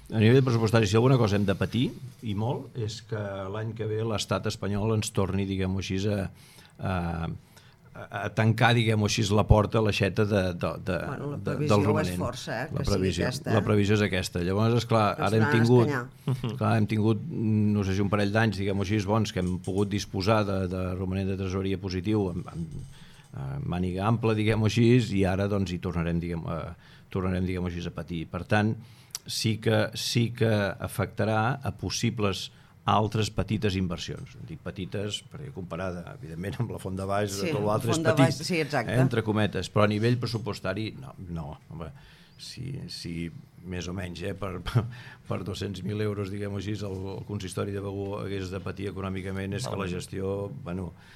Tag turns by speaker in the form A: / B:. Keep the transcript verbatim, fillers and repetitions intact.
A: A nivell pressupostari, si alguna cosa hem de patir, i molt, és que l'any que ve l'estat espanyol ens torni, diguem-ho així, a, a, a tancar, diguem-ho així, la porta, l'aixeta de, de, de,
B: bueno, la
A: de,
B: previsió
A: del romanent.
B: és força, eh, que
A: la previsió,
B: sigui aquesta. Eh?
A: La previsió és aquesta. Llavors, esclar, ara hem tingut, clar, hem tingut, no sé si un parell d'anys, diguem-ho així, bons, que hem pogut disposar de, de romanent de tresoreria positiu amb, amb, amb màniga ampla, diguem-ho així, i ara doncs hi tornarem, diguem, a, tornarem, diguem-ho així, a patir. Per tant, sí que, sí que afectarà a possibles altres petites inversions. Dic petites perquè comparada, evidentment, amb la Font de Baix,
B: sí,
A: tot l'altre és
B: petit, baix, sí,
A: eh, entre cometes, però a nivell pressupostari, no, no. Home, si, si més o menys, eh, per, per dos-cents mil euros, diguem-ho així, el, el consistori de Begur hagués de patir econòmicament, és que la gestió, bueno,